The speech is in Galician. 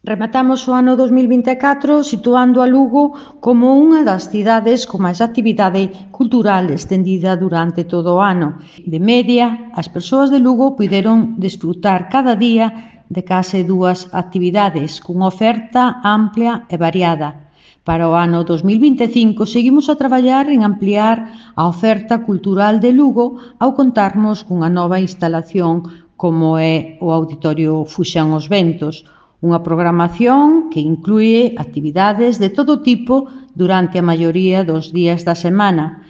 Rematamos o ano 2024 situando a Lugo como unha das cidades con máis actividade cultural estendida durante todo o ano. De media, as persoas de Lugo puideron desfrutar cada día de case 2 actividades, cunha oferta ampla e variada. Para o ano 2025 seguimos a traballar en ampliar a oferta cultural de Lugo ao contarmos cunha nova instalación como é o Auditorio Fuxan os Ventos, unha programación que inclúe actividades de todo tipo durante a maioría dos días da semana,